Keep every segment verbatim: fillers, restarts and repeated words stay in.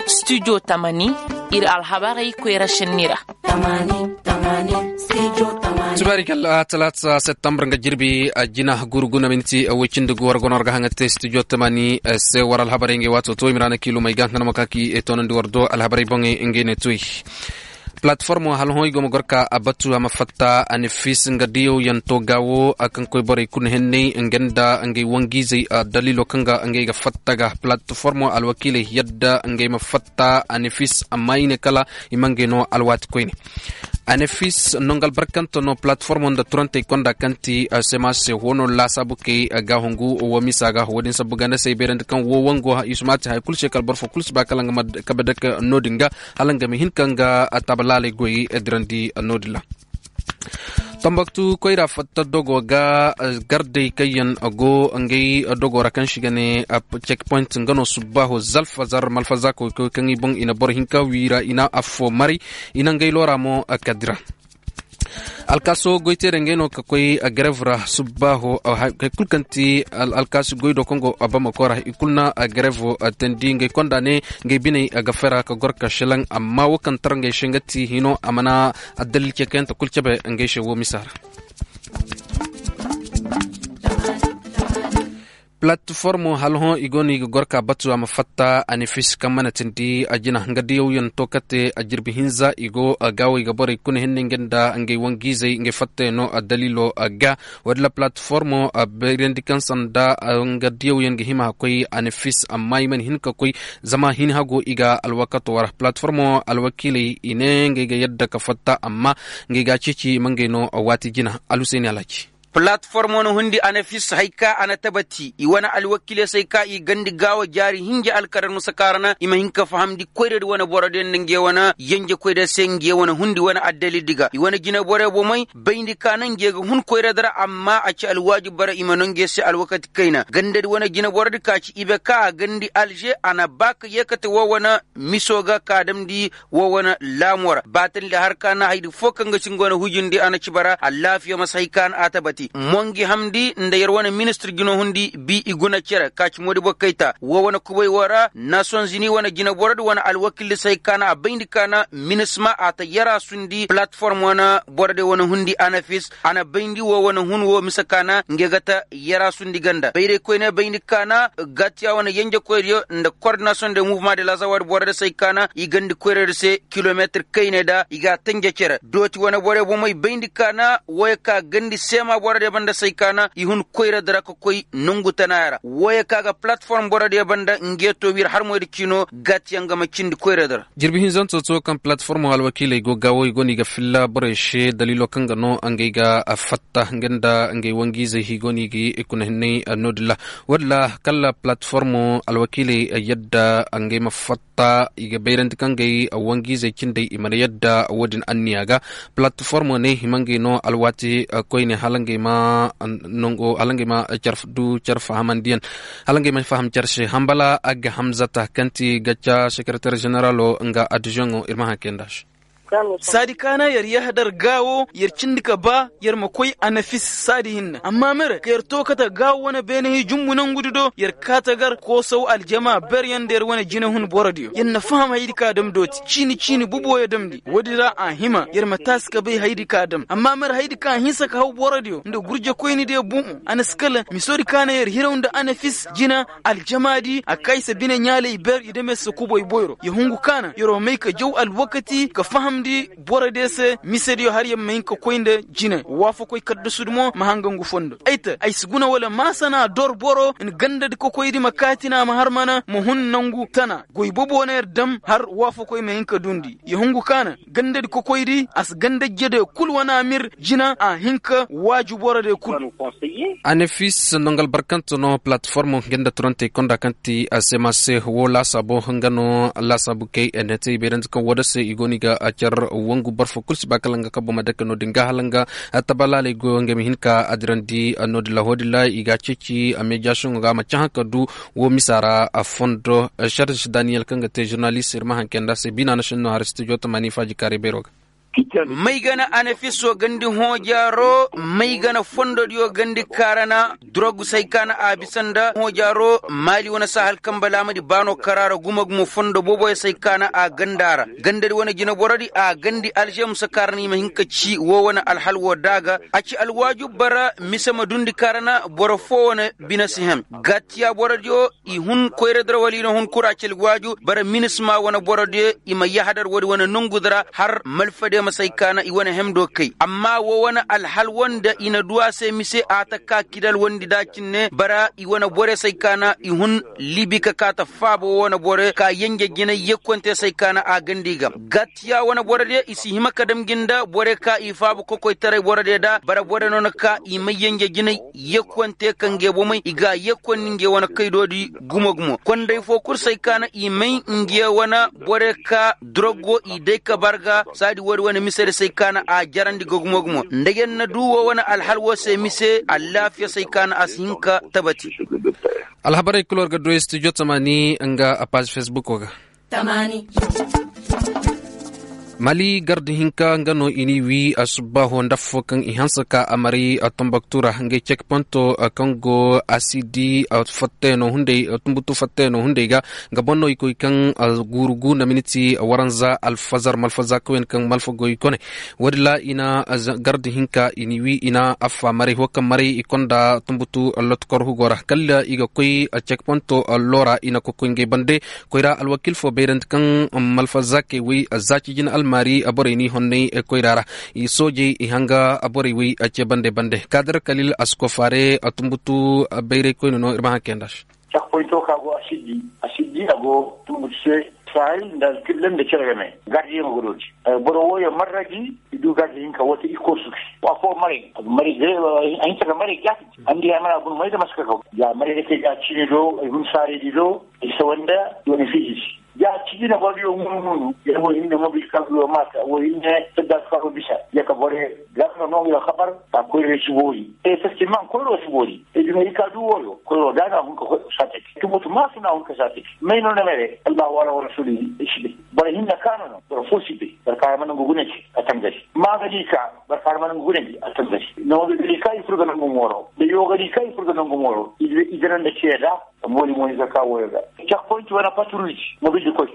Studio tamani, iri alhabarey koyra šenni ra. Tubaari kalla talaata septembar nga jirbi jina guru guna minti woy cindi gu war gono war ga haŋa te studio tamani se war alhabarey ngey waato to i ma ra na kiilumey ga nga na ma ka ki toonandi war do alhabarey boŋey ngey ne tuy. Platformo hala hõ i go ma gor ka a batu a ma fatta a na fiisi nga diyaw yaŋ to gaawo a kaŋ koy borey kulu henney nga nda ngey wanjiizey daliilo kaŋ ga ngey ga fatta ga platformo alwakiiley yadda ngey ma fatta a na fiisi amma i ne kala i ma ngey no alwaati koyne. A na fiisi nongu albarkante no platformo nda turantey konda kaŋ ti sema se hoono laasaabu kay ga hungu wo misa ga wo- din sabbu ganda se ay bayrandi kaŋ wo wango i si maati haya kulu se kala boro fo kulu si ba kala nga ma kabe dake no- din ga hala nga ma hin ka nga tabalaaley goy dirandi no- din ra. Tambaktu koyra fatta dogo ga gardey kaŋ yaŋ go ngey dogo ra kaŋ si ga ne cek point nga no subbaaho zalfa zar malfaza koy kaŋ i boŋ i na boro hinka wiira i na affo maray i na ngey loora mo kadira. Alkaaso goyteerey ngey no ka koy garev ra subbaaho. Hay kulu kaŋ ti alkaasi goy do kaŋ go bamako ra i kulu na garevo teendi ngey konda ne ngey biney ga fera ka gor ka šelaŋ amma wo kaŋ tar ngey se nga ti hino a mana addalil cekayante kulu cebe ngey se wo misa ra. Platformo hala hõ i go no i ga gor ka batu a ma fatta a na fiisi kaŋ mana tindi a jina nga diyaw yaŋ to kate a jirbi hinza i go gaawey ga borey kuna henne nga nda ngey wanjiizey ngey fatta yaŋ no a daliilo ga. Wo- din ra platformo a bayrandi kaŋ sanda nga diyaw yaŋ ga hima a koy a na fiisi amma i mana hin ka koy zama hin hago i ga alwakato wara platformo alwakiiley i ne ngey ga yadda ka fatta amma ngey ga a ceeci i ma ngey no waati jina. Alhuseeni alhaji. Platformo na hundi anafis hay ka a na tabati i wane alwakiiley se hay ka i gandi gaawo jaari hinja alkadar musa kaarana i ma hin ka fahamndi koyra di wane boro di nda nge wane yenje koyra se nge wane hundi wane addalil di ga i wane jineboro bomey bayndi ka na nge ga hun koyra di ra amma a ci alwaajib bara i ma no nge se alwakati kayna ganda di wane jineboro di ka ci ibe ka a gandi alže a na ba ka yeekate wo wane miso ga ka damndi wo wane laamo ra baatandi har ka na haydi fo kaŋ ga ci nga wane hujindi a na ci bara allaafiya masa hay ka na a tabati mongi hamndi nda yer wane ministir jino hundi bi i guna cere ka ci moodi boro kayta wo wane kubay wo ra nasonzini wane jineboro di wane alwakildi se hay ka na a bayndi ka na minisma a ta yara sundi palatform wane boro de wane hundi anafis a na bayndi wo wane hun wo mise ka na nge ga ta yara sundi ganda bayray koyne bayndi ka na gatiya wane yenjekoydiyo nda kordinasiyoŋ de muvuma de lazawa di boro de se hay ka na i gandi koyra di se kilometir kayne da i ga a tanje cere dooti wane boro bomey bayndi ka na wooyo ka gandi seema boro de banda se hay ka na i hun koyra di ra ka koy nongu tanaaya ra wooyo ka ga palatform boro de banda nge to wir harmoy di ciino gatiyaŋ ga ma cindi koyra di ra. Jirbi hinzanto to kaŋ palatformo alwakiiley go gaawo i go no i ga filla borey se daliilo kaŋ ga no ngey ga fatta nga nda ngey wanjiizey i go no i ga i kuna hinney no- din ra wo- din ra kala palatformo alwakiiley yadda ngey ma fatta i ga bayrandi kaŋ ngey wanjiizey cindey i mana yadda wo- din anniya ga palatformo ne i ma ngey no alwaati koyne hala ngey ma nongo hala ngey ma care du care fahamandiyaŋ hala ngey ma faham care se hambala agga hamzata kaŋ ti gacca sekereter ženeralo nga addizoŋo ir ma haŋ kay nda se. Saadi kaana yer yahadar gaawo yer cindi ka ba yer ma koy anafis saadi hinna amma mere ka yer to kate gaawo wane beene hijumbu nangudi do yer kaate gar koosaw aljama beryaŋ nda yer wane jinehun borodiyo yer na faham hayadi ka dam dooti ciini ciini bubuwo ya damndi woodi ra a hima yer ma taasi ka bay hayadi ka dam amma mere hayadi ka hinsa ka haw borodiyo nda gurjekoynidiyo bumo a na si kala misoodi kaana yer hiraw nda anafis jina aljamaadi a ka i se bine ɲaaley ber i dame se kubay boyro ya hungu kaana yer'o may ka jaw alwakati ka fahamndi borodiyo se misediyo har yer ma hin ka koy nda jine waafakoy kaddasudi mo ma hanga ngu fondo ay te ay si guna wala maasana dor boro nga gandadi kokoydi ma kaatina ma har mana ma hun nangu tana goy bobo na yer dam har waafakoy ma hin ka dundi ya hungu kaana gandadi kokoydi a si gandajjediyo kul wane amir jina a hin ka waaju borodiyo kul. Anafis nongu albarkante no palatformo nga nda turantey konda kaŋ ti a se ma se wo laasaabo nga no laasaabu kay nda te i bayrandi kaŋ woo da se i go no i ga a care wangu boro fo kul si ba kala nga kabbo ma dake no- din ga hala nga tabalaaley go nga ma hin ka a dirandi no- din ra wo- din ra i ga a ceeci a meejasiyoŋo ga a ma cahã ka du wo misa ra a fondo. Serge daniyel kaŋ ga te žurnalist ir ma haŋ kay nda a se biina na sinno har studio tamani faaji kaaray beero ga. May gana anafiso gandi hoojaaro may gana fondodiyo gandi kaarana. Durog say kaana a bisa nda hoojaaro maali wane sahal kamba laamadi baano karaara gumo-gumo fondo booboyo say kaana a ganda ra gandadi wane jineborodi a gandi alžemusa kaarana i ma hin ka ci woo wane alhal woo daaga. A ci alwaaju bara mise ma dundi kaarana boro foo wane bine si hem. Gatiya borodiyo i hun koyra dira wala i na hun kura cali waaju bara minisma wane borodiyo i ma yahadar woodi wane nongu dira har malfadiyo ma say kaana i wane hemdo kay amma woo wane alhal woo nda i na du a se mise a ta ka kidal woodi nda cinne bara i wane bore say kaana i hun libi ka kaa ta faaba woo wane bore ka yenje jinay yekkonte say kaana a ganda i ga. Gatiya wane borodiyo i si hima ka dam gi nda bore ka i faaba kokoytaray borodiyo da bara bore no na ka i may yenje jinay. Yekkonte ka nge bomey i ga a yekkon ni nge wane kaydoodi gumo-gumo konday foo kul say kaana i may nge wane bore ka dorogo i day ka bar ga saadi woodi wane misedi say kaana a jarandi ga gumo-gumo nda yer na du woo wane alhal woo se mise allaafiya say kaana a si hin ka tabati. Alhabarey kul war ga du studio tamaani nga a paazi fesbukoo ga. Mali garda hinka nga no i n'i wii asubbaaho nda affoo kaŋ i hanse ka a maray tombaktu ra ngey cekponto kaŋ go asidi fattayano hunday tumbutu fattayano hunday ga. Nga boŋ no i koy kaŋ guuru gu na miniti waranza alfazar malfaza kawyan kaŋ malfa goy kone. Woodi ra i na garda hinka i n'i wii i na affa maray ho kaŋ maray i konda tumbutu lotokor hugo ra kala i ga koy cekponto loora i na kokoy ngey bande. Koyra alwakiil fo bayrandi kaŋ malfa zaakey wey zaaci jina almaari borey n'i honnay koyra ra. I soojey i hanga borey wey cee bande bande kaadir kalil a si kofaare. Tumbutu bayray koyne no ir ma haŋ kay nda se. Cakkoyto ka go a siddi a siddi a go tumbutu se. Sahay nda alkilla nda cere game gardiyaŋo ga dooti. Boro wooyo marra gi i du gardi hinka woo te i koosu gi. Wa fo maray a hinka ga maray jaati. Andi ya mara guna may da maska kaw ya maray da kay ga ciini do ay hun saarey di do. Ay sawa nda i wane fiiji si ya ciini na boro diyo munu munu ya wo hinne mobil kaŋ yo maata wo hinne tadda su kaŋ bisa ya ka boro garno no ya kabar. Ka koyra si boori e festiman koyro si boori. E duna i ka du wooyo koyro da na hun ka koy sate. Tumutu maasu na hun ka sate. May no na mere allahu wala wala suli. Si bay boro hinne kaano no boro fo si bay boro kaara mana ngu gune ci a tangari. Maa ga di ka barkaari mana ngu gune di a tangari. Nawo ga di ka i fur ga nangu mooro da yo ga di ka i fur ga nangu mooro. I dana nda ceeda. Mooli mooni zaka wooyo ga cakkoyinci wane patruuji mobildi koy.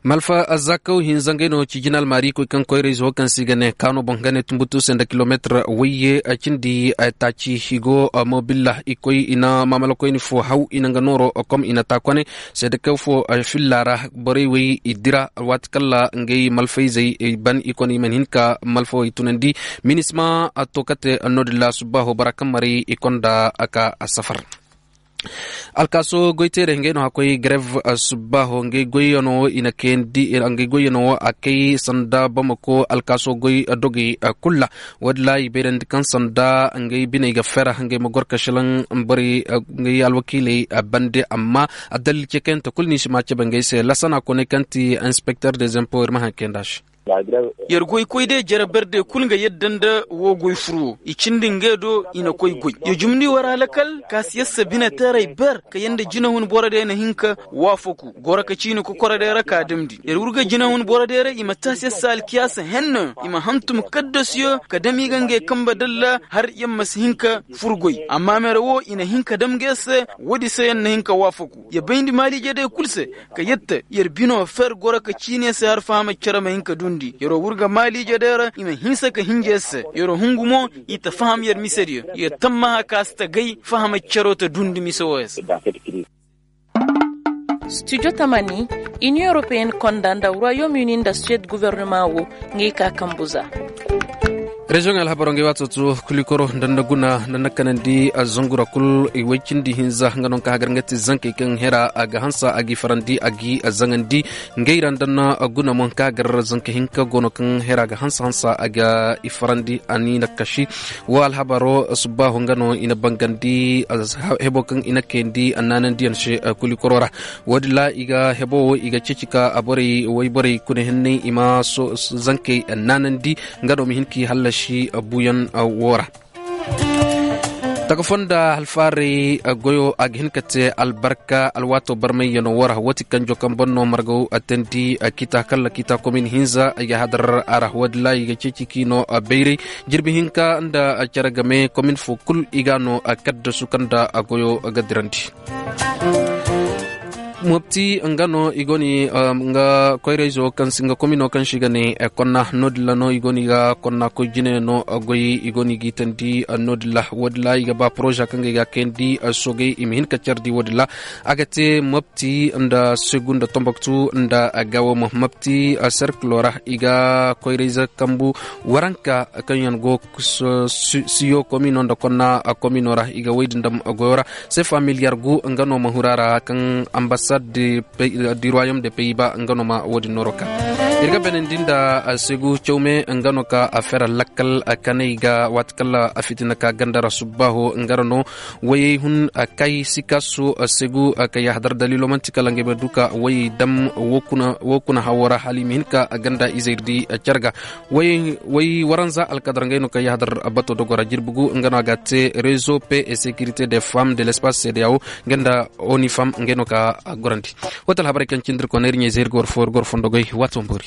Malfa zakaw hinza ngey no ci jina almaari koy kaŋ koyra ize wo kaŋ se i ga ne kaano boŋ ga ne tumbutu se nda kilometir wayye. Cindi taaci i go mobilla i koy i na maamalakoyni fo haw i na nga nooro kom i na taa kone. Seedekaw fo filla ra borey wey i dira waati kala ngey malfayzey ban i kone i mana hin ka malfawey tunandi. Minisma a to kate no-din ra subbaaho bora kaŋ maray i konda a ka safar. Alkaaso goyteerey ngey no a koy garev subbaaho ngey goyyano i na kayandi ngey goyyano wo a kay sanda bamako alkaaso goy dogey. Kul ra wo- din ra i bayrandi kaŋ sanda ngey biney ga fer ngey ma gor ka šelaŋ borey ngey alwakiiley bande amma addalil cekayante kul no i si ma cabe ngey se lasana koney kaŋ ti inspekter des impo ir ma haŋ kay nda a se. Yer goy koy day jere ber day kul nga yadda nda woo goy fur woo i cindi ngey do i na koy goy. Yer jumndi war alakal kaasiyassa bineteerey ber ka yee nda jinahun boro day na hin ka waafaku goro ka ciini kokoro day ra ka damndi yer wurga jinahun boro day ra i ma taasi yer se alkiyaasa henno i ma hantum kaddasuyo ka dam i ga ngey kambe dalla har yer ma si hin ka fur goy amma mere wo i na hin ka dam ga yer se. Woodi se yer na hin ka waafaku yer bayndi maaliije day kul se ka yer ta yer bino fer goro ka ciini yer se har fahama cere ma hin ka duundi yer wo wurga maaliije day ra i ma hinsa ka hinja yer se yer wo hungu mo i ta faham yer misediyo yer tammaha ka si ta gay fahama cero ta duundi mise wooyo se. Studio tamani, inion europeen konda nda royaume uni nda suwed guvernema wo ngey ka kambu za. Reziyoŋey alhabaro ngey waato to kulikoro nda nda guna nda nda kanandi. Zangura kul i woy cindi hinza nga no ka hagar nga ti zankey kaŋ hera a ga hansa a g'i farandi a g'i zaŋandi. Ngey ra nda nda guna mo ka hagar zanka hinka go no kaŋ hera ga hansa hansa a ga i farandi a ni na kasi. Wo alhabaro subbaaho nga no i na bangandi hebo kaŋ i na kayandi a naanandiyaŋ se. Kulikoro ra wo- din ra i ga hebo wo i ga ceeci ka borey wayborey kuna henney i ma zankey naanandi. Nga no ma hin k'i hallasi buuyaŋ wo ra. Taka foo nda alfaaray goyo a ga hin ka te albarka alwaatoo barmayyanoo woo ra woo ti kanjo kaŋ boŋ no margaw teendi. Kiita kalla kiita komin hinza ay ga hadar a ra woo din ra i ga ceeci k'i no bayray. Jirbi hinka nda cere game komin foo kul i ga a no kaddasu kaŋ nda goyo ga dirandi. Mopti nga no i go ni nga koyra-izo kaŋ si nga komino kaŋ se i ga ne konna no- din ra no i go ni ga konna koy jine no goy i go ni ga i teendi. No- din ra woo din ra i ga ba poroza kaŋ ga i ga a kayandi sogey i ma hin ka care di woo din ra. A ga te mopti nda segu nda tomboktu nda gaawo mo mopti serkilo ra i ga koyra-ize kambu waranka kaŋ yaŋ go siyo komino nda konna komino ra i ga woy din dam goyo ra. Sefa miliyar gu nga no ma huru a ra kaŋ ambasad di ruwayom de peyi ba nga no ma woo din nooro ka ir ga beenandi nda segu cawme nga no ka a fera lakkal kanay ga waati kala a fitina ka ganda ra subbaaho nga ra no. Wayey hun kay sikasu segu ka yahadar daliilo man'ti kala ngey ma du ka wayey dam woo kuna hawo ra hala i ma hin ka ganda izey di care ga. Way waranza alkadar ngey no ka yahadar bato dogo ra jirbi gu nga no a ga a te rezo pe et securité de femme de l'espace cdao nga nda onifam ngey no ka gorandi. Woo ti alhabarey kaŋ cindi ir kona ir ɲayzey ir ga war foo ir ga war fondo goy waati wamboori.